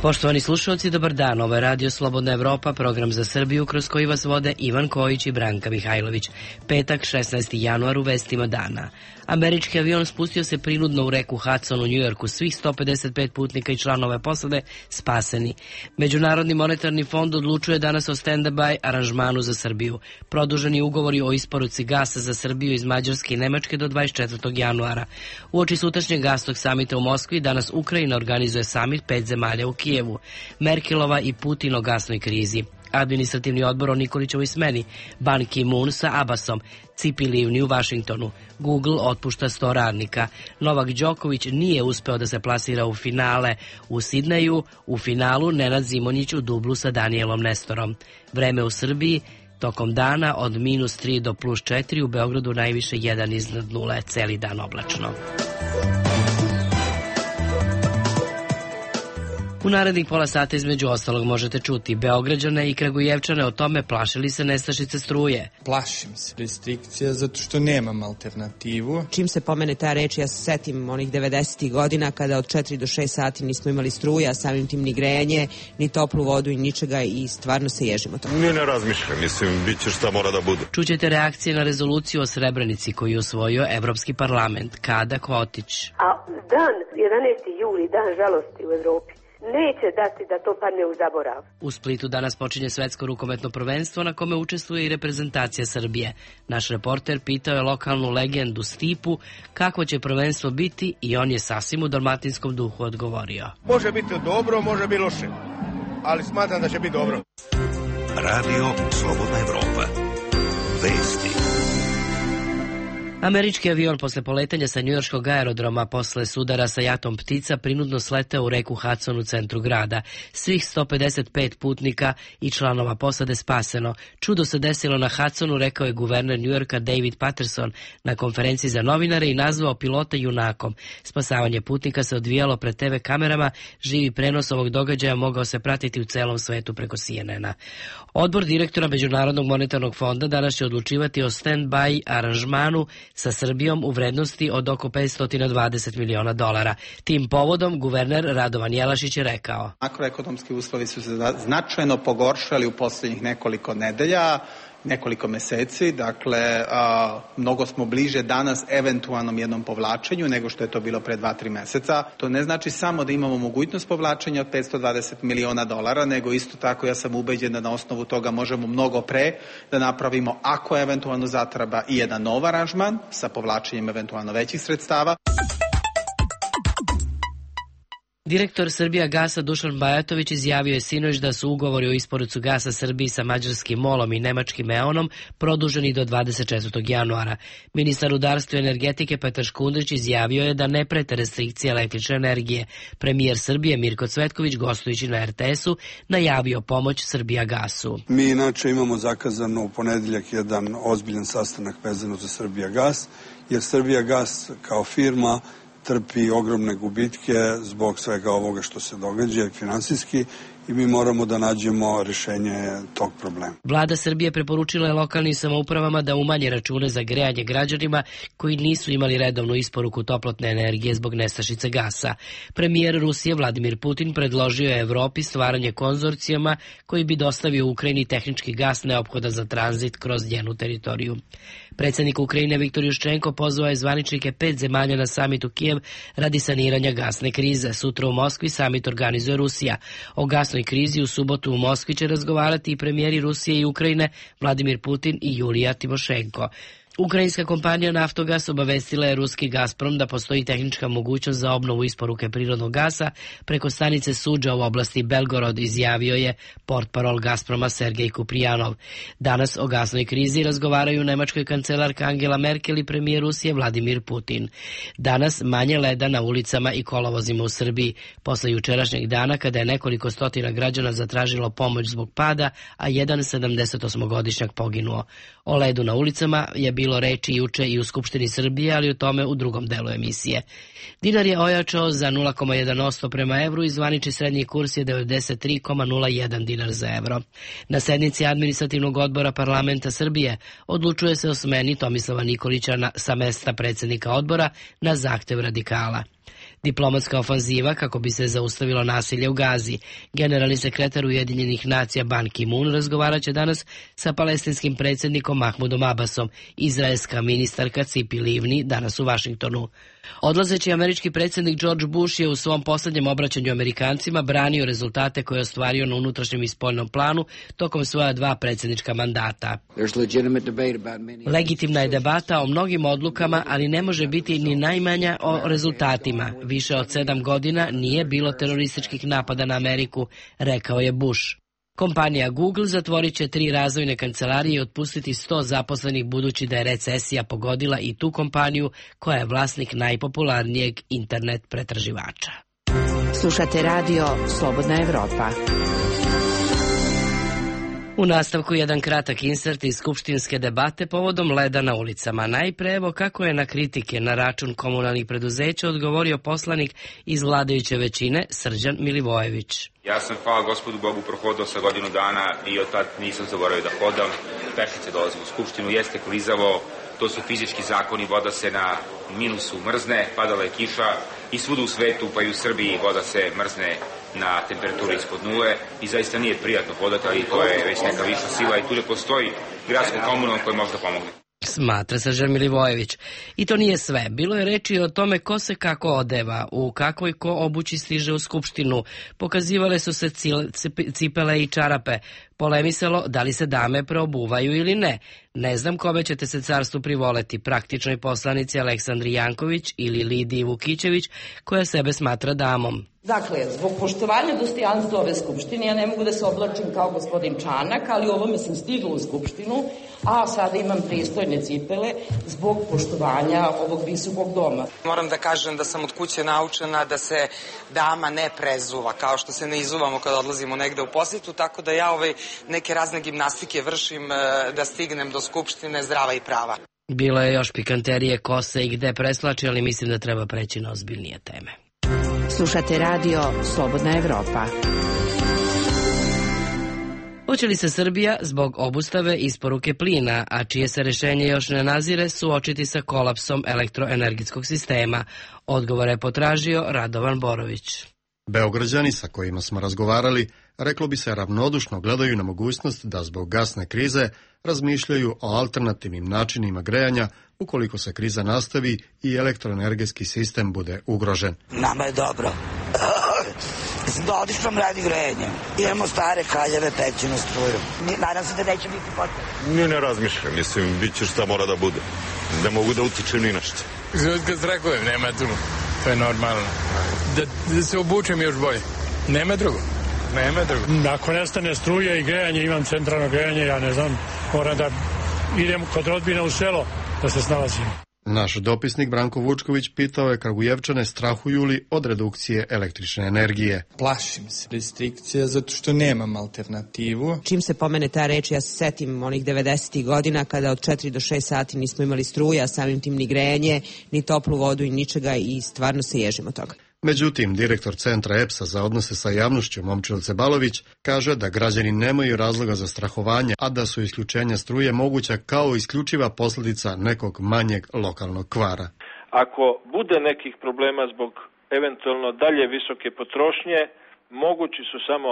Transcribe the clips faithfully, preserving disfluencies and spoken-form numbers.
Poštovani slušalci, dobar dan. Ovo je Radio Slobodna Evropa, program za Srbiju kroz koji vas vode Ivan Kojić i Branka Mihajlović. Petak, šesnaesti januar, u vestima dana. Američki avion spustio se prinudno u reku Hudson u Njujorku. Svih sto pedeset pet putnika i članove posade spaseni. Međunarodni monetarni fond odlučuje danas o stand-by aranžmanu za Srbiju. Produženi ugovori o isporuci gasa za Srbiju iz Mađarske i Nemačke do dvadeset četvrtog januara. Uoči sutrašnjeg gasnog samita u Moskvi, danas Ukrajina organizuje samit pet zemalja u Kijevu. Merkelova i Putin o gasnoj krizi. Administrativni odbor o Nikolićevoj smeni. Ban Ki-moon sa Abbasom. Cipi Livni u Vašingtonu. Google otpušta sto radnika. Novak Đoković nije uspeo da se plasira u finale u Sidneju. U finalu Nenad Zimonjić u dublu sa Danielom Nestorom. Vreme u Srbiji tokom dana od minus tri do plus četiri, u Beogradu najviše jedan iznad nule, celi dan oblačno. U narednih pola sata između ostalog možete čuti Beograđane i Kragujevčane o tome plaše li se nestašice struje. Plašim se restrikcija zato što nemam alternativu. Čim se pomene ta reč, ja se setim onih devedesetih godina kada od četiri do šest sati nismo imali struja, samim tim ni grejanje, ni toplu vodu i ničega i stvarno se ježimo to. Ne, ne razmišljam, mislim, bit će šta mora da bude. Čućete reakcije na rezoluciju o Srebrenici koju je usvojio Evropski parlament. Kada Kotić. A dan jedanaesti juli, dan žalosti u Evropi, neće dati da to padne u zaborav. U Splitu danas počinje svetsko rukometno prvenstvo na kome učestvuje i reprezentacija Srbije. Naš reporter pitao je lokalnu legendu Stipu kako će prvenstvo biti i on je sasvim u dalmatinskom duhu odgovorio. Može biti dobro, može biti loše, ali smatram da će biti dobro. Radio Slobodna Evropa. Vesti. Američki avion posle poletanja sa njujorškog aerodroma posle sudara sa jatom ptica prinudno sleteo u reku Hudson u centru grada. Svih sto pedeset pet putnika i članova posade spaseno. Čudo se desilo na Hudsonu, rekao je guverner Njujorka David Patterson na konferenciji za novinare i nazvao pilota junakom. Spasavanje putnika se odvijalo pred te ve kamerama, živi prenos ovog događaja mogao se pratiti u celom svetu preko C N N-a. Odbor direktora Međunarodnog monetarnog fonda danas će odlučivati o stand-by aranžmanu sa Srbijom u vrednosti od oko petsto dvadeset miliona dolara. Tim povodom guverner Radovan Jelašić je rekao: makroekonomski uslovi su se značajno pogoršali u posljednjih nekoliko nedelja, nekoliko meseci, dakle a, mnogo smo bliže danas eventualnom jednom povlačenju nego što je to bilo pre dva, tri meseca. To ne znači samo da imamo mogućnost povlačenja od petsto dvadeset miliona dolara, nego isto tako ja sam ubeđen da na osnovu toga možemo mnogo pre da napravimo, ako eventualno zatreba, i jedan nov aranžman sa povlačenjem eventualno većih sredstava. Direktor Srbija gasa Dušan Bajatović izjavio je sinoć da su ugovori o isporuci gasa Srbiji sa mađarskim MOL-om i nemačkim E.ON-om produženi do dvadeset četvrtog januara. Ministar rudarstva i energetike Petar Škundrić izjavio je da ne prete restrikcije električne energije. Premijer Srbije Mirko Cvetković, gostujući na er te esu, najavio pomoć Srbija gasu. Mi inače imamo zakazano u ponedeljak jedan ozbiljan sastanak vezano za Srbija gas, jer Srbija gas kao firma trpi ogromne gubitke zbog svega ovoga što se događa finansijski i mi moramo da nađemo rešenje tog problema. Vlada Srbije preporučila je lokalnim samoupravama da umanje račune za grejanje građanima koji nisu imali redovnu isporuku toplotne energije zbog nestašice gasa. Premijer Rusije Vladimir Putin predložio je Evropi stvaranje konzorcijama koji bi dostavio Ukrajini tehnički gas neophodan za tranzit kroz njenu teritoriju. Predsjednik Ukrajine Viktor Juščenko pozvao je zvaničnike pet zemalja na samit u Kijev radi saniranja gasne krize. Sutra u Moskvi samit organizuje Rusija. O gasnoj krizi u subotu u Moskvi će razgovarati i premijeri Rusije i Ukrajine Vladimir Putin i Julija Timošenko. Ukrajinska kompanija Naftogas obavestila je ruski Gazprom da postoji tehnička mogućnost za obnovu isporuke prirodnog gasa preko stanice Suđa u oblasti Belgorod, izjavio je portparol Gazproma Sergej Kuprijanov. Danas o gasnoj krizi razgovaraju nemačkoj kancelarka Angela Merkel i premijer Rusije Vladimir Putin. Danas manje leda na ulicama i kolovozima u Srbiji, posle jučerašnjeg dana kada je nekoliko stotina građana zatražilo pomoć zbog pada, a jedan sedamdesetosmogodišnjak poginuo. O ledu na ulicama je bilo reči juče i u Skupštini Srbije, ali o tome u drugom delu emisije. Dinar je ojačao za nula zarez jedan posto prema evru i zvanični srednji kurs je devedeset tri zarez nula jedan dinar za evro. Na sednici Administrativnog odbora Parlamenta Srbije odlučuje se o smeni Tomislava Nikolića na, sa mesta predsjednika odbora na zahtev radikala. Diplomatska ofanziva kako bi se zaustavilo nasilje u Gazi. Generalni sekretar Ujedinjenih nacija Ban Ki-moon razgovarat će danas sa palestinskim predsjednikom Mahmudom Abbasom, izraelska ministarka Cipi Livni danas u Vašingtonu. Odlazeći američki predsjednik George Bush je u svom posljednjem obraćanju Amerikancima branio rezultate koje je ostvario na unutrašnjem i spoljnom planu tokom svoja dva predsjednička mandata. Legitimna je debata o mnogim odlukama, ali ne može biti ni najmanja o rezultatima. Više od sedam godina nije bilo terorističkih napada na Ameriku, rekao je Bush. Kompanija Google zatvorit će tri razvojne kancelarije i otpustiti sto zaposlenih budući da je recesija pogodila i tu kompaniju koja je vlasnik najpopularnijeg internet pretraživača. Slušate radio Slobodna Evropa. U nastavku jedan kratak insert iz skupštinske debate povodom leda na ulicama. Najpre evo kako je na kritike na račun komunalnih preduzeća odgovorio poslanik iz vladajuće većine Srđan Milivojević. Ja sam, hvala gospodu Bogu, prohodao sa godinu dana i od tad nisam zaboravio da hodam. Pešice dolazim u skupštinu, jeste klizavo, to su fizički zakoni, voda se na minusu mrzne, padala je kiša i svuda u svetu, pa i u Srbiji, voda se mrzne na temperaturu ispod nule i zaista nije prijatno hodati, ali to je već neka viša sila i tu ne postoji gradsko komunalno koje može da pomogne. Smatra Srđan Milivojević. I to nije sve. Bilo je reči o tome ko se kako odeva, u kakvoj ko obući stiže u skupštinu. Pokazivale su se cipele i čarape. Polemisalo da li se dame preobuvaju ili ne. Ne znam kome ćete se carstvu privoleti, praktičnoj poslanici Aleksandri Janković ili Lidiji Vukićević, koja sebe smatra damom. Dakle, zbog poštovanja dostojanstva ove skupštine, ja ne mogu da se oblačim kao gospodin Čanak, ali ovome sam stigla u skupštinu, a sada imam pristojne cipele zbog poštovanja ovog visokog doma. Moram da kažem da sam od kuće naučena da se dama ne prezuva, kao što se ne izuvamo kada odlazimo negde u posjetu, tako da ja ovaj neke razne gimnastike vršim da stignem do skupštine zdrava i prava. Bilo je još pikanterije ko se i gde preslači, ali mislim da treba preći na ozbiljnije teme. Slušate radio Slobodna Evropa. Hoće li se Srbija zbog obustave isporuke plina, a čije se rešenje još ne nazire, suočiti sa kolapsom elektroenergetskog sistema? Odgovor je potražio Radovan Borović. Beograđani sa kojima smo razgovarali, reklo bi se, ravnodušno gledaju na mogućnost da zbog gasne krize razmišljaju o alternativnim načinima grejanja ukoliko se kriza nastavi i elektroenergetski sistem bude ugrožen. Nama je dobro. Da odličnom radi grejenjem. Imamo stare kaljeve, pećinu struju. Nadam se da neće biti potrebno. Ne, ne razmišljam. Mislim, bit će šta mora da bude. Ne mogu da utičem ni nešto. Kad strakujem, nema tu. To je normalno. Da, da se obučem još bolje. Nema drugo. Nema drugo. Ako nestane struje i grejanje, imam centralno grejanje, ja ne znam, moram da idem kod rodbina u selo da se snalazim. Naš dopisnik Branko Vučković pitao je Kragujevčane strahuju li od redukcije električne energije. Plašim se restrikcija zato što nemam alternativu. Čim se pomene ta reč, ja se setim onih devedesetih godina kada od četiri do šest sati nismo imali struje, a samim tim ni grejanje, ni toplu vodu i ničega i stvarno se ježimo toga. Međutim, direktor Centra E P S-a za odnose sa javnošću Momčilo Cebalović kaže da građani nemaju razloga za strahovanje, a da su isključenja struje moguća kao isključiva posljedica nekog manjeg lokalnog kvara. Ako bude nekih problema zbog eventualno dalje visoke potrošnje, mogući su samo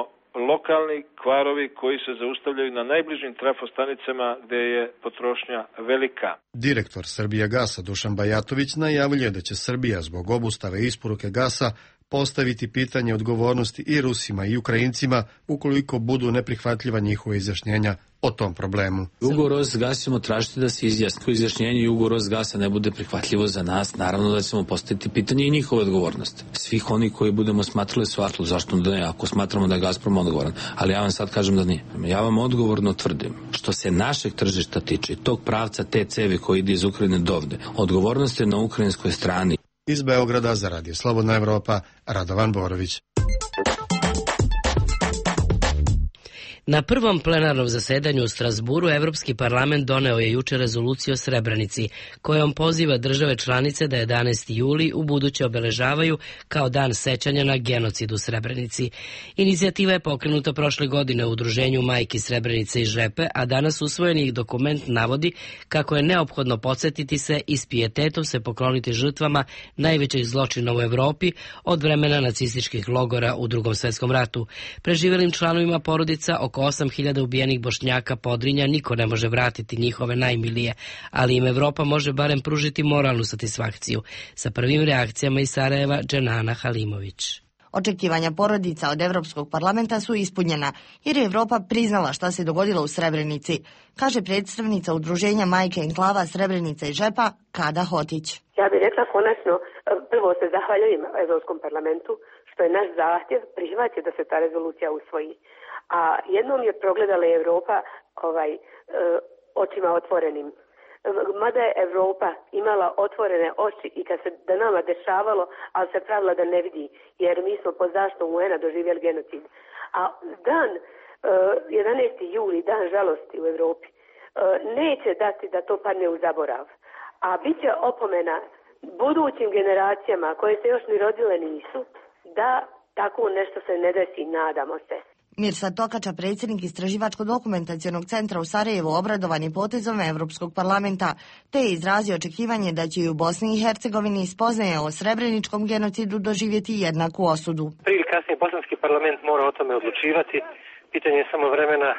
lokalni kvarovi koji se zaustavljaju na najbližim trafostanicama gde je potrošnja velika. Direktor Srbijagasa Dušan Bajatović najavljuje da će Srbija zbog obustave isporuke gasa postaviti pitanje odgovornosti i Rusima i Ukrajincima ukoliko budu neprihvatljiva njihova izjašnjenja o tom problemu. Ugovor s gasa ćemo tražiti da se izjasni. Izjašnjenje i ugovor s gasa ne bude prihvatljivo za nas, naravno da ćemo postaviti pitanje i njihove odgovornosti. Svih oni koji budemo smatrali svatlo, zašto da ne, ako smatramo da je Gazprom odgovoran, ali ja vam sad kažem da nije. Ja vam odgovorno tvrdim, što se našeg tržišta tiče, tog pravca te cevi koji ide iz Ukrajine dovde, odgovornost je na ukrajinskoj strani. Iz Beograda za Radio Slobodna Evropa, Radovan Borović. Na prvom plenarnom zasedanju u Strasburu Evropski parlament doneo je juče rezoluciju o Srebrenici, kojom poziva države članice da jedanaesti juli u buduće obeležavaju kao dan sećanja na genocid u Srebrenici. Inicijativa je pokrenuta prošle godine u udruženju Majki Srebrenice i Žepe, a danas usvojeni dokument navodi kako je neophodno podsjetiti se i s pijetetom se pokloniti žrtvama najvećih zločina u Evropi od vremena nacističkih logora u Drugom svjetskom ratu. Preživelim članovima porodica oko osam hiljada ubijenih Bošnjaka Podrinja niko ne može vratiti njihove najmilije, ali im Evropa može barem pružiti moralnu satisfakciju. Sa prvim reakcijama iz Sarajeva, Dženana Halimović. Očekivanja porodica od Evropskog parlamenta su ispunjena, jer je Evropa priznala šta se dogodilo u Srebrenici, kaže predstavnica udruženja Majke enklava Srebrenica i Žepa, Kada Hotić. Ja bih rekla konačno, prvo se zahvaljujem Evropskom parlamentu što je naš zahtjev prihvatio da se ta rezolucija usvoji. A jednom je progledala Evropa ovaj, očima otvorenim. Mada je Evropa imala otvorene oči i kad se da nama dešavalo, ali se pravila da ne vidi, jer mi smo pod zaštitom U N-a doživjeli genocid. A dan jedanaesti juli, dan žalosti u Evropi, neće dati da to padne u zaborav. A bit će opomena budućim generacijama koje se još ni rodile nisu, da tako nešto se ne desi, nadamo se. Mirsad Tokača, predsjednik Istraživačko-dokumentacionog centra u Sarajevu, obradovan je potezom Evropskog parlamenta, te je izrazio očekivanje da će i u Bosni i Hercegovini spoznaje o srebreničkom genocidu doživjeti jednaku osudu. Prije ili kasnije bosanski parlament mora o tome odlučivati. Pitanje je samo vremena.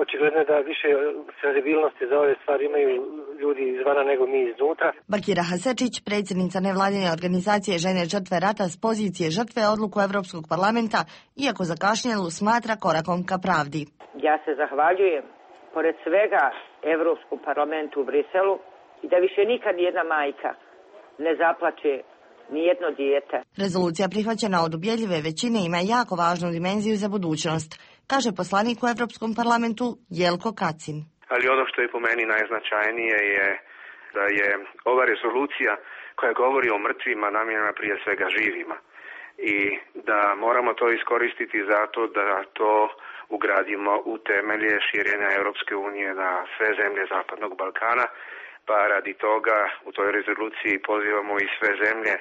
Očigledno je da više senzibilnosti za ove stvari imaju ljudi izvana nego mi iznutra. Bakira Hasečić, predsjednica nevladine organizacije Žene žrtve rata s pozicije žrtve odluku Evropskog parlamenta, iako zakašnjelu smatra korakom ka pravdi. Ja se zahvaljujem pored svega Evropskom parlamentu u Briselu i da više nikad jedna majka ne zaplače nijedno dijete. Rezolucija prihvaćena od ubjedljive većine ima jako važnu dimenziju za budućnost, kaže poslanik u Evropskom parlamentu Jelko Kacin. Ali ono što je po meni najznačajnije je da je ova rezolucija koja govori o mrtvima namijenjena prije svega živima i da moramo to iskoristiti zato da to ugradimo u temelje širenja Europske unije na sve zemlje Zapadnog Balkana, pa radi toga u toj rezoluciji pozivamo i sve zemlje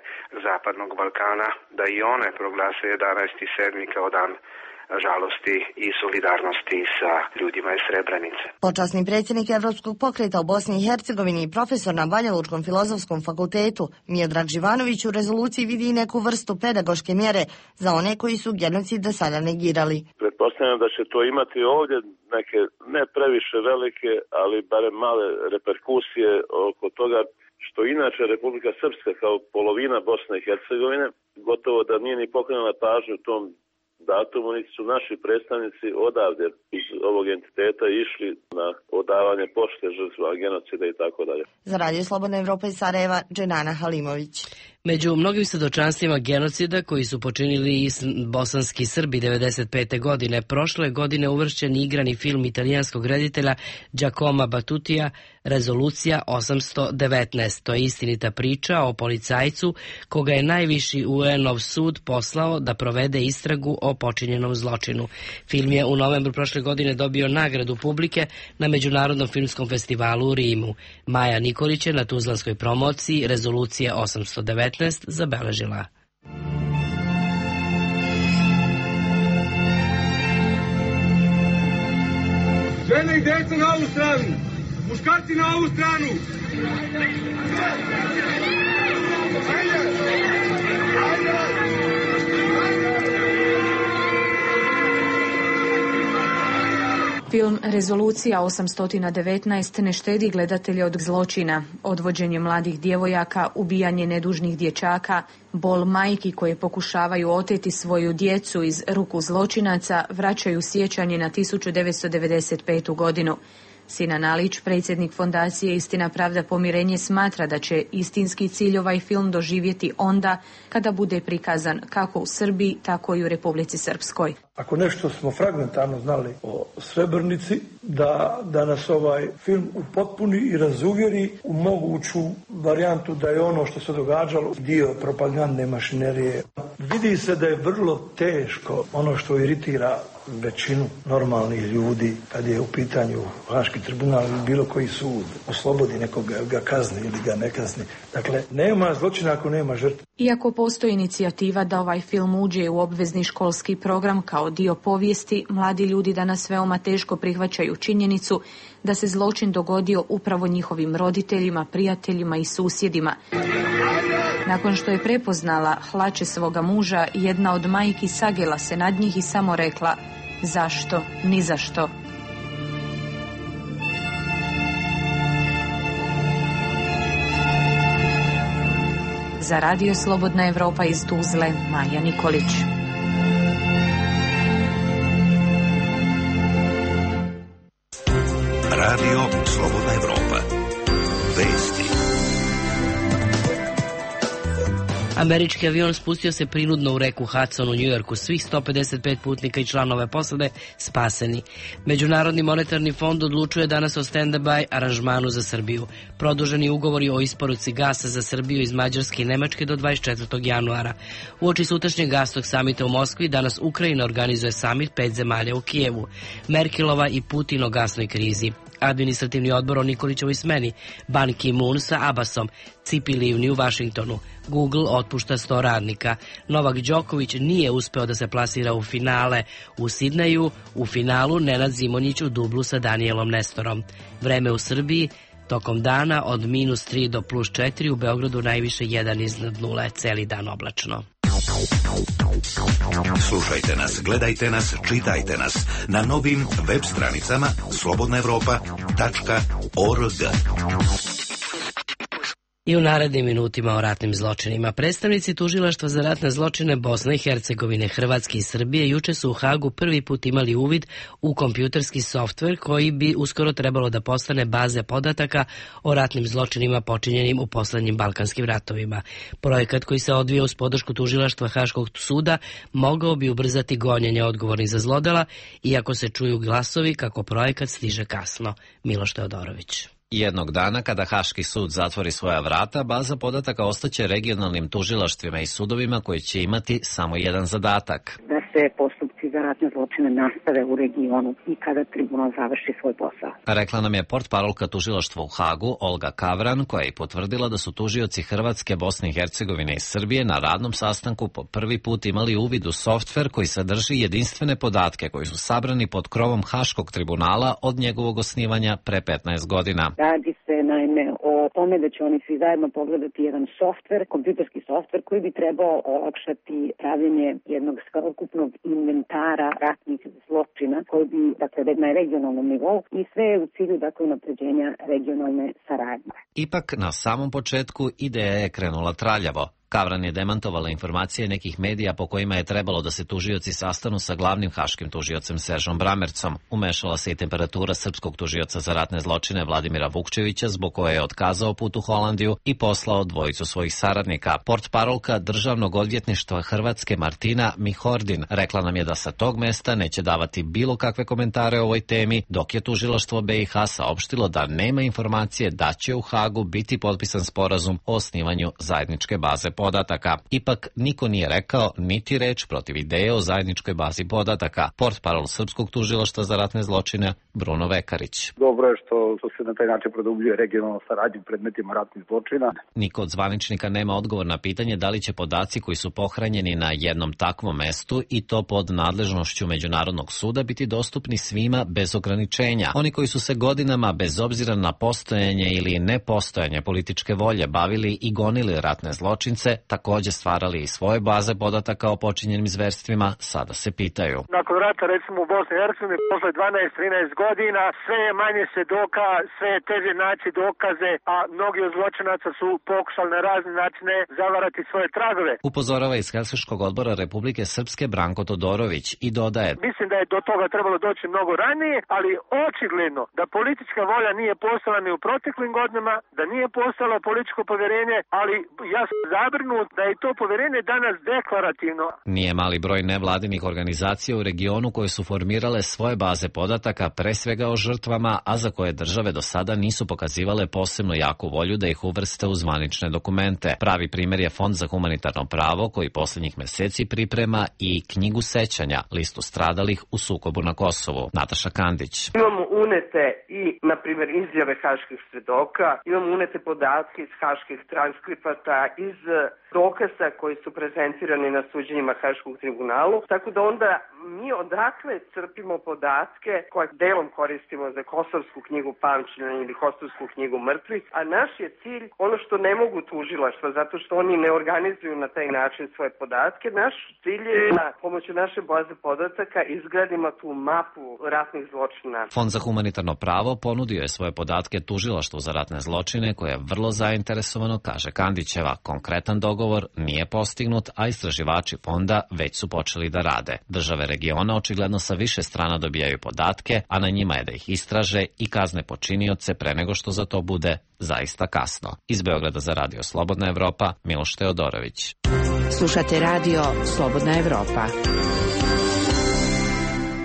Zapadnog Balkana da i one proglase jedanaesti sedmi kao dan žalosti i solidarnosti sa ljudima iz Srebrenice. Počasni predsjednik Evropskog pokreta u Bosni i Hercegovini i profesor na Banjalučkom filozofskom fakultetu Miodrag Živanović u rezoluciji vidi i neku vrstu pedagoške mjere za one koji su genocid do sada negirali. Pretpostavljam da će to imati ovdje neke ne previše velike, ali barem male reperkusije oko toga što inače Republika Srpska kao polovina Bosne i Hercegovine gotovo da nije ni pokrenula pažnju u tom datumu, niti su naši predstavnici odavde iz ovog entiteta išli na odavanje pošte žrtva genocida i tako dalje. Za Radio Slobodna Evropa iz Sarajeva, Dženana Halimović. Među mnogim svjedočanstvima genocida koji su počinili i bosanski Srbi devedeset pete godine, prošle godine uvršćen igrani film italijanskog reditelja Giacomo Battutija Rezolucija osamsto devetnaest. To je istinita priča o policajcu koga je najviši U N-ov sud poslao da provede istragu o počinjenom zločinu. Film je u novembru prošle godine dobio nagradu publike na Međunarodnom filmskom festivalu u Rimu. Maja Nikolić je na tuzlanskoj promociji Rezolucije osamsto devetnaest zabeležila. Žene i djeca na ovu stranu, muškarci na ovu stranu. Film Rezolucija osamsto devetnaest ne štedi gledatelje od zločina, odvođenje mladih djevojaka, ubijanje nedužnih dječaka, bol majki koje pokušavaju oteti svoju djecu iz ruku zločinaca, vraćaju sjećanje na tisuću devetsto devedeset petu godinu. Sinan Alić, predsjednik fondacije Istina, pravda, pomirenje, smatra da će istinski cilj ovaj film doživjeti onda kada bude prikazan kako u Srbiji, tako i u Republici Srpskoj. Ako nešto smo fragmentarno znali o Srebrenici, da, da nas ovaj film upotpuni i razuvjeri u moguću varijantu da je ono što se događalo dio propagandne mašinerije. Vidi se da je vrlo teško ono što iritira većinu normalnih ljudi, kad je u pitanju Haški tribunal ili bilo koji sud, oslobodi nekoga, ga kazni ili ga ne kazni. Dakle, nema zločina ako nema žrtve. Iako postoji inicijativa da ovaj film uđe u obvezni školski program kao dio povijesti, mladi ljudi danas veoma teško prihvaćaju činjenicu da se zločin dogodio upravo njihovim roditeljima, prijateljima i susjedima. Nakon što je prepoznala hlače svoga muža, jedna od majki sagela se nad njih i samo rekla: zašto, ni zašto. Za Radio Slobodna Evropa iz Tuzle, Maja Nikolić. Radio Slobodna Evropa. Vesti. Američki avion spustio se prinudno u reku Hudson u Njujorku. Svih sto pedeset pet putnika i članove posade spaseni. Međunarodni monetarni fond odlučuje danas o stand-by aranžmanu za Srbiju. Produženi ugovori o isporuci gasa za Srbiju iz Mađarske i Nemačke do dvadeset četvrtog januara. Uoči sutrašnjeg gasnog samita u Moskvi danas Ukrajina organizuje samit pet zemalja u Kijevu. Merkelova i Putin o gasnoj krizi. Administrativni odbor o Nikolićevoj smeni, Ban Ki-moon sa Abbasom, Cipi Livni u Vašingtonu. Google otpušta sto radnika. Novak Đoković nije uspeo da se plasira u finale u Sidneju, u finalu Nenad Zimonjić u dublu sa Danielom Nestorom. Vreme u Srbiji tokom dana od minus tri do plus četiri, u Beogradu najviše jedan iznad nule, celi dan oblačno. Slušajte nas, gledajte nas, čitajte nas na novim web stranicama slobodna evropa tačka org. I u narednim minutima o ratnim zločinima. Predstavnici Tužilaštva za ratne zločine Bosne i Hercegovine, Hrvatske i Srbije juče su u Hagu prvi put imali uvid u kompjuterski softver koji bi uskoro trebalo da postane baze podataka o ratnim zločinima počinjenim u poslednjim balkanskim ratovima. Projekat koji se odvija uz podršku Tužilaštva Haškog suda mogao bi ubrzati gonjenje odgovornih za zlodela, iako se čuju glasovi kako projekat stiže kasno. Miloš Teodorović. Jednog dana, kada Haški sud zatvori svoja vrata, baza podataka ostaće regionalnim tužilaštvima i sudovima koji će imati samo jedan zadatak. Da se postupci za ratne zločine nastave u regionu i kada tribunal završi svoj posao. Rekla nam je portparolka tužilaštva u Hagu, Olga Kavran, koja je potvrdila da su tužioci Hrvatske, Bosne i Hercegovine i Srbije na radnom sastanku po prvi put imali uvid u softver koji sadrži jedinstvene podatke koji su sabrani pod krovom Haškog tribunala od njegovog osnivanja pre petnaest godina. Radi se naime o tome da će oni svi zajedno pogledati jedan softver, kompjuterski softver koji bi trebao olakšati pravljenje jednog sveukupnog inventara ratnih zločina koji bi, dakle, na regionalnom nivou i sve je u cilju, dakle, unapređenja regionalne saradnje. Ipak, na samom početku ideja je krenula traljavo. Kavran je demantovala informacije nekih medija po kojima je trebalo da se tužioci sastanu sa glavnim haškim tužiocem Seržom Bramercom. Umešala se i temperatura srpskog tužioca za ratne zločine Vladimira Vukčevića, zbog koje je otkazao put u Holandiju i poslao dvojicu svojih saradnika. Portparolka Državnog odvjetništva Hrvatske Martina Mihordin rekla nam je da sa tog mesta neće davati bilo kakve komentare o ovoj temi, dok je tužilaštvo B i H saopštilo da nema informacije da će u Hagu biti potpisan sporazum o osnivanju zajedničke baze podataka. Ipak niko nije rekao niti reč protiv ideje o zajedničkoj bazi podataka. Portparol Srpskog tužilaštva za ratne zločine Bruno Vekarić. Dobro je što, što se na taj način produbljuje regionalna saradnja u predmetima ratnih zločina. Niko od zvaničnika nema odgovor na pitanje da li će podaci koji su pohranjeni na jednom takvom mestu i to pod nadležnošću Međunarodnog suda biti dostupni svima bez ograničenja. Oni koji su se godinama bez obzira na postojanje ili nepostojanje političke volje bavili i gonili ratne zločince, također stvarali i svoje baze podataka o počinjenim zverstvima, sada se pitaju. Nakon rata, recimo u Bosni i Hercegovini, posle dvanaest trinaest godina, sve je manje svedoka, sve je teže naći dokaze, a mnogi od zločinaca su pokušali na razne načine zavarati svoje tragove. Upozorava iz Helsinškog odbora Republike Srpske Branko Todorović i dodaje: Mislim da je do toga trebalo doći mnogo ranije, ali očigledno da politička volja nije postojala ni u proteklim godinama, da nije postojalo političko povjerenje, ali ja sam zabrinut zabrinut da je to poverenje danas deklarativno. Nije mali broj nevladinih organizacija u regionu koje su formirale svoje baze podataka, pre svega o žrtvama, a za koje države do sada nisu pokazivale posebno jaku volju da ih uvrste u zvanične dokumente. Pravi primjer je Fond za humanitarno pravo koji posljednjih meseci priprema i knjigu sećanja, listu stradalih u sukobu na Kosovu. Nataša Kandić. Imamo unete i, na primjer, izjave haških svedoka, imamo unete podatke iz haških transkripata, iz dokaza koji su prezentirani na suđenjima Haškog tribunalu, tako da onda mi odakle crpimo podatke koje delom koristimo za Kosovsku knjigu pamćenja ili Kosovsku knjigu mrtvih, a naš je cilj ono što ne mogu tužilaštva, zato što oni ne organizuju na taj način svoje podatke. Naš cilj je da pomoću naše baze podataka izgradimo tu mapu ratnih zločina. Fond za humanitarno pravo ponudio je svoje podatke tužilaštvu za ratne zločine, koje je vrlo zainteresovano, kaže Kandićeva. Konkretan dogovor nije postignut, a istraživači fonda već su počeli da rade. Države regiona očigledno sa više strana dobijaju podatke, a na njima je da ih istraže i kazne počinioce pre nego što za to bude zaista kasno. Iz Beograda za Radio Slobodna Evropa, Miloš Teodorović. Slušate Radio Slobodna Evropa.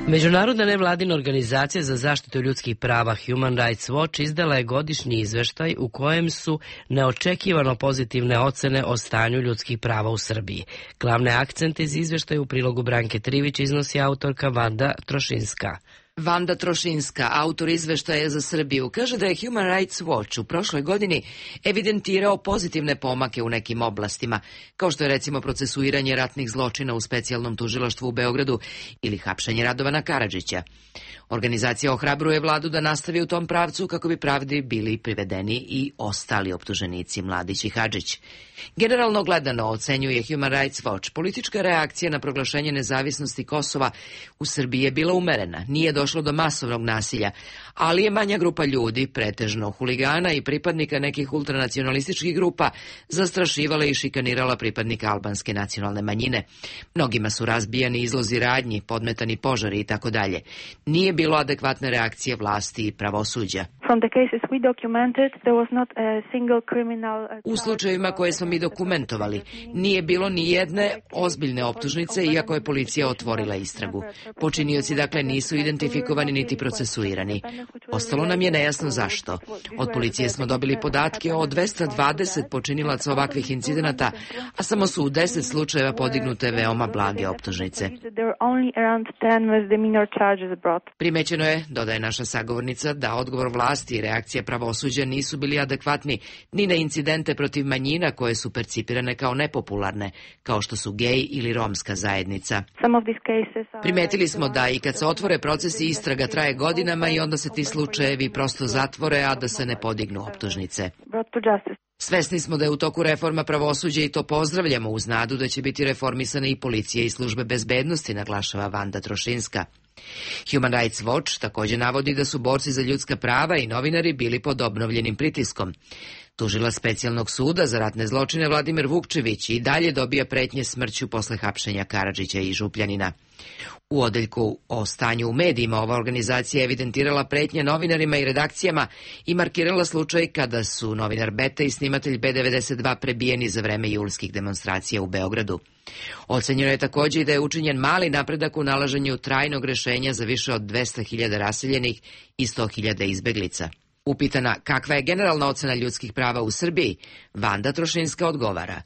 Međunarodna nevladina organizacija za zaštitu ljudskih prava Human Rights Watch izdala je godišnji izveštaj u kojem su neočekivano pozitivne ocene o stanju ljudskih prava u Srbiji. Glavne akcente iz izveštaja u prilogu Branke Trivić iznosi autorka Vanda Trošinska. Vanda Trošinska, autor izveštaja za Srbiju, kaže da je Human Rights Watch u prošloj godini evidentirao pozitivne pomake u nekim oblastima, kao što je recimo procesuiranje ratnih zločina u specijalnom tužilaštvu u Beogradu ili hapšenje Radovana Karadžića. Organizacija ohrabruje vladu da nastavi u tom pravcu kako bi pravdi bili privedeni i ostali optuženici Mladić i Hadžić. Generalno gledano, ocenjuje Human Rights Watch, politička reakcija na proglašenje nezavisnosti Kosova u Srbiji je bila umerena, nije došlo do masovnog nasilja, ali je manja grupa ljudi, pretežno huligana i pripadnika nekih ultranacionalističkih grupa, zastrašivala i šikanirala pripadnika albanske nacionalne manjine. Mnogima su razbijani izlozi radnji, podmetani požari i tako dalje. Nije bilo adekvatne reakcije vlasti i pravosuđa. U slučajevima koje smo mi dokumentovali, nije bilo ni jedne ozbiljne optužnice, iako je policija otvorila istragu. Počinioci dakle nisu identifikovani niti procesuirani. Ostalo nam je nejasno zašto. Od policije smo dobili podatke o dvesta dvadeset počinilaca ovakvih incidenata, a samo su u deset slučajeva podignute veoma blage optužnice. Primećeno je, dodaje naša sagovornica, da odgovor vlasti i reakcija pravosuđa nisu bili adekvatni ni na incidente protiv manjina koje su percipirane kao nepopularne, kao što su gej ili romska zajednica. Primetili smo da i kad se otvore procesi, istraga traje godinama i onda se ti slučajevi prosto zatvore, a da se ne podignu optužnice. Svesni smo da je u toku reforma pravosuđa i to pozdravljamo uz nadu da će biti reformisane i policije i službe bezbednosti, naglašava Vanda Trošinska. Human Rights Watch također navodi da su borci za ljudska prava i novinari bili pod obnovljenim pritiskom. Tužilac specijalnog suda za ratne zločine Vladimir Vukčević i dalje dobija pretnje smrću posle hapšenja Karadžića i Župljanina. U odeljku o stanju u medijima ova organizacija evidentirala pretnje novinarima i redakcijama i markirala slučaj kada su novinar Beta i snimatelj B devedeset dva prebijeni za vreme julskih demonstracija u Beogradu. Ocenjeno je također i da je učinjen mali napredak u nalaženju trajnog rešenja za više od dvesta hiljada raseljenih i sto hiljada izbeglica. Upitana kakva je generalna ocena ljudskih prava u Srbiji, Vanda Trošinska odgovara.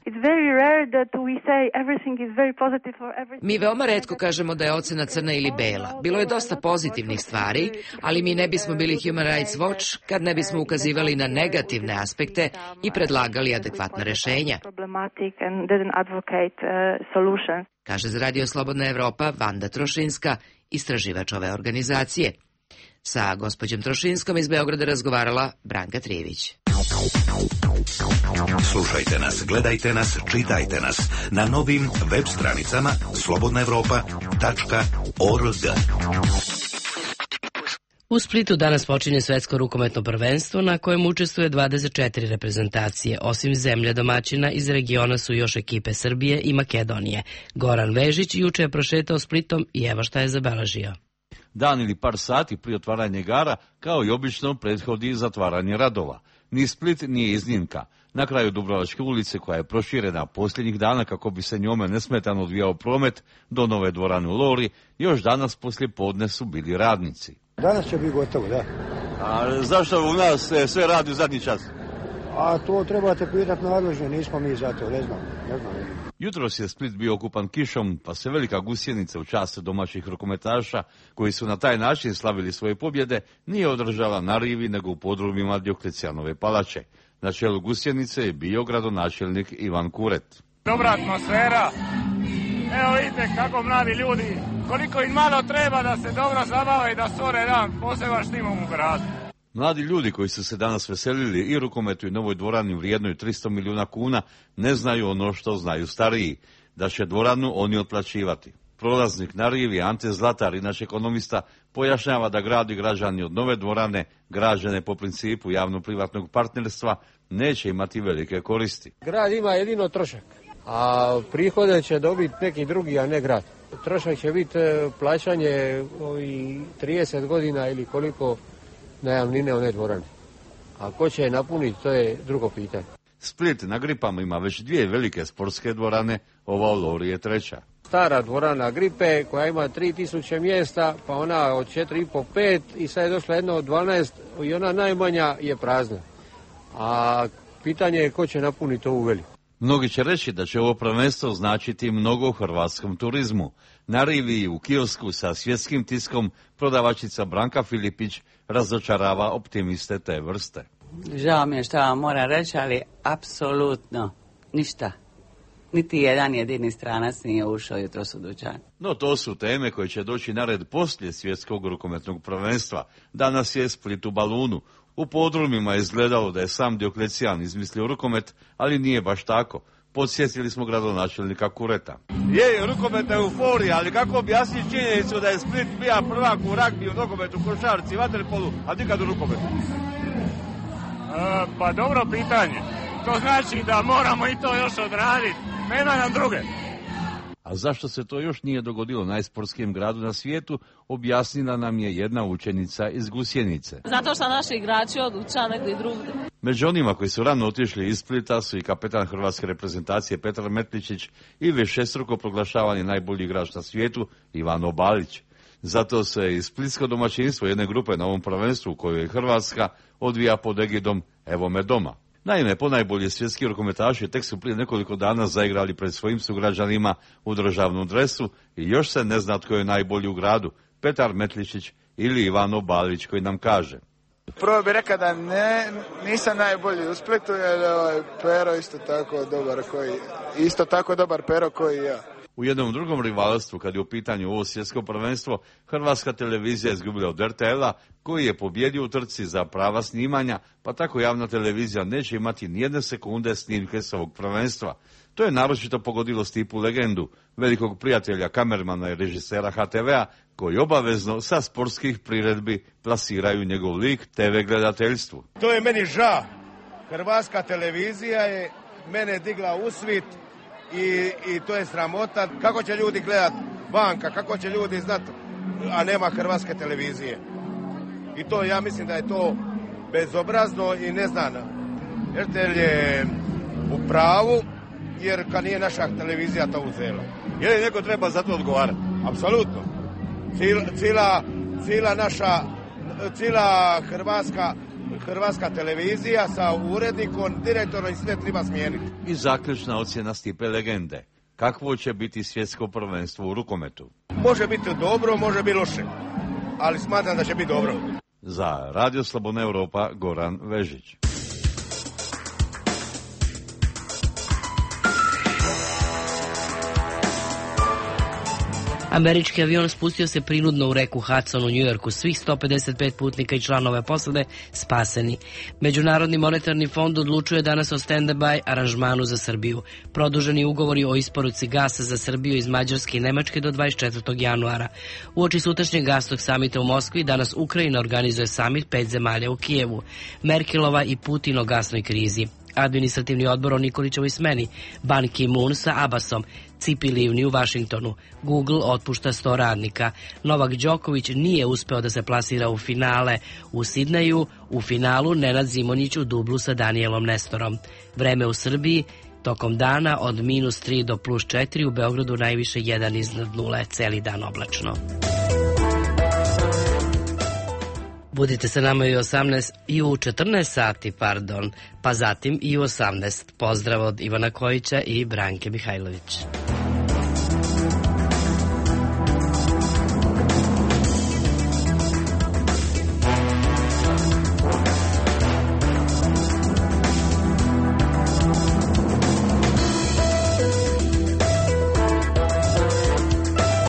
Mi veoma retko kažemo da je ocena crna ili bela. Bilo je dosta pozitivnih stvari, ali mi ne bismo bili Human Rights Watch kad ne bismo ukazivali na negativne aspekte i predlagali adekvatna rešenja. Kaže za Radio Slobodna Evropa Vanda Trošinska, istraživač ove organizacije. Sa gospođom Trošinskom iz Beograda razgovarala Branka Trivić. Slušajte nas, gledajte nas, čitajte nas na novim web stranicama slobodna evropa tačka org. U Splitu danas počinje svetsko rukometno prvenstvo na kojem učestvuje dvadeset četiri reprezentacije. Osim zemlje domaćina, iz regiona su još ekipe Srbije i Makedonije. Goran Vežić juče je prošetao Splitom i evo šta je zabeležio. Dan ili par sati prije otvaranja igara, kao i obično, prethodi zatvaranje radova. Ni Split nije iznimka. Na kraju Dubrovačke ulice, koja je proširena posljednjih dana kako bi se njome nesmetano odvijao promet do nove dvorane u Lori, još danas poslije podne su bili radnici. Danas će biti gotovo, da. A zašto u nas sve radi u zadnji čas? A to trebate pitati nadležne, nismo mi za to, ne znam, ne znam. Jutros je Split bio okupan kišom, pa se velika gusjenica u čast domaćih rukometaša, koji su na taj način slavili svoje pobjede, nije održala na rivi nego u podrumima Dioklecijanove palače. Na čelu gusjenice je bio gradonačelnik Ivan Kuret. Dobra atmosfera. Evo vidite kako mladi ljudi, koliko im malo treba da se dobro zabave i da stvore jedan poseban štimom u gradu. Mladi ljudi koji su se danas veselili i rukometu i novoj dvorani vrijednoj tristo milijuna kuna ne znaju ono što znaju stariji, da će dvoranu oni otplaćivati. Prolaznik na rivi Ante Zlatar, inače ekonomista, pojašnjava da grad i građani od nove dvorane, građene po principu javno-privatnog partnerstva, neće imati velike koristi. Grad ima jedino trošak, a prihode će dobiti neki drugi, a ne grad. Trošak će biti plaćanje ovih trideset godina ili koliko najamnine one dvorane. A ko će je napuniti, to je drugo pitanje. Split na Gripama ima već dvije velike sportske dvorane, ova u Lori je treća. Stara dvorana Gripe koja ima tri tisuće mjesta, pa ona od četiri i po pet i sad je došla jedna od dvanaest i ona najmanja je prazna. A pitanje je ko će napuniti ovu veliku. Mnogi će reći da će ovo prvenstvo značiti mnogo u hrvatskom turizmu. Na rivi i u kiosku sa svjetskim tiskom prodavačica Branka Filipić razočarava optimiste te vrste. Žao mi je što vam moram reći, ali apsolutno ništa. Niti jedan jedini stranac nije ušao jutros u dućan. No to su teme koje će doći na red poslije svjetskog rukometnog prvenstva. Danas je Split u balunu. U podrumima je izgledalo da je sam Dioklecijan izmislio rukomet, ali nije baš tako. Podsjetili smo gradonačelnika Kureta. Je, rukomet je euforija, ali kako objasniti činjenicu da je Split bija prvak u ragbi, u nogometu, košarci, vaterpolu, a nikad u rukometu? E, pa dobro pitanje. To znači da moramo i to još odraditi. Nema nam druge. A zašto se to još nije dogodilo najsportskim gradu na svijetu, objasnila nam je jedna učenica iz Gusjenice. Zato što naši igrači odlučaju negdje drugdje. Među onima koji su rano otišli iz Splita su i kapetan hrvatske reprezentacije Petar Metličić i višestruko proglašavani najbolji igrač na svijetu Ivano Balić. Zato se i splitsko domaćinstvo jedne grupe na ovom prvenstvu u kojoj je Hrvatska odvija pod egidom Evo me doma. Naime, ponajbolji svjetski rukometaši tek su prije nekoliko dana zaigrali pred svojim sugrađanima u državnom dresu i još se ne zna tko je najbolji u gradu, Petar Metličić ili Ivano Balić, koji nam kaže. Prvo bih rekao da ne, nisam najbolji u Splitu, jer ovaj Pero isto tako dobar koji, isto tako dobar Pero koji ja. U jednom drugom rivalstvu, kad je u pitanju ovo svjetsko prvenstvo, Hrvatska televizija je izgubila od er te el-a, koji je pobjedio u trci za prava snimanja, pa tako javna televizija neće imati nijedne sekunde snimke s ovog prvenstva. To je naročito pogodilo Stipu legendu, velikog prijatelja kamermana i režisera ha te ve-a, koji obavezno sa sportskih priredbi plasiraju njegov lik te ve gledateljstvu. To je meni ža. Hrvatska televizija je mene digla u svit. I, i to je sramota. Kako će ljudi gledat vanka, kako će ljudi znat, a nema hrvatske televizije. I to, ja mislim da je to bezobrazno i neznano. er te el je u pravu, jer kad nije naša televizija to uzela. Je li neko treba za to odgovarati? Apsolutno. Cila, cila, cila naša, cila hrvatska Hrvatska televizija sa urednikom, direktorom i sve treba smijeniti. I zaključna ocjena Stipe legende. Kakvo će biti svjetsko prvenstvo u rukometu? Može biti dobro, može biti loše, ali smatram da će biti dobro. Za Radio Slobodna Europa, Goran Vežić. Američki avion spustio se prinudno u reku Hudson u Njujorku. Svih sto pedeset pet putnika i članova posade spaseni. Međunarodni monetarni fond odlučuje danas o stand-by aranžmanu za Srbiju. Produženi ugovori o isporuci gasa za Srbiju iz Mađarske i Nemačke do dvadeset četvrtog januara. Uoči sutrašnjeg gasnog samita u Moskvi danas Ukrajina organizuje samit pet zemalja u Kijevu. Merkelova i Putin o gasnoj krizi. Administrativni odbor o Nikolićevoj smeni, Ban Ki-moon sa Abbasom, Cipi Livni u Vašingtonu, Google otpušta sto radnika, Novak Đoković nije uspeo da se plasira u finale u Sidneju, u finalu Nenad Zimonjić u dublu sa Danielom Nestorom. Vreme u Srbiji tokom dana od minus tri do plus četiri, u Beogradu najviše jedan iznad nule, celi dan oblačno. Budite sa nama i u osamnaest i u četrnaest sati, pardon, pa zatim i u osamnaest. Pozdrav od Ivana Kojića i Branke Mihajlović.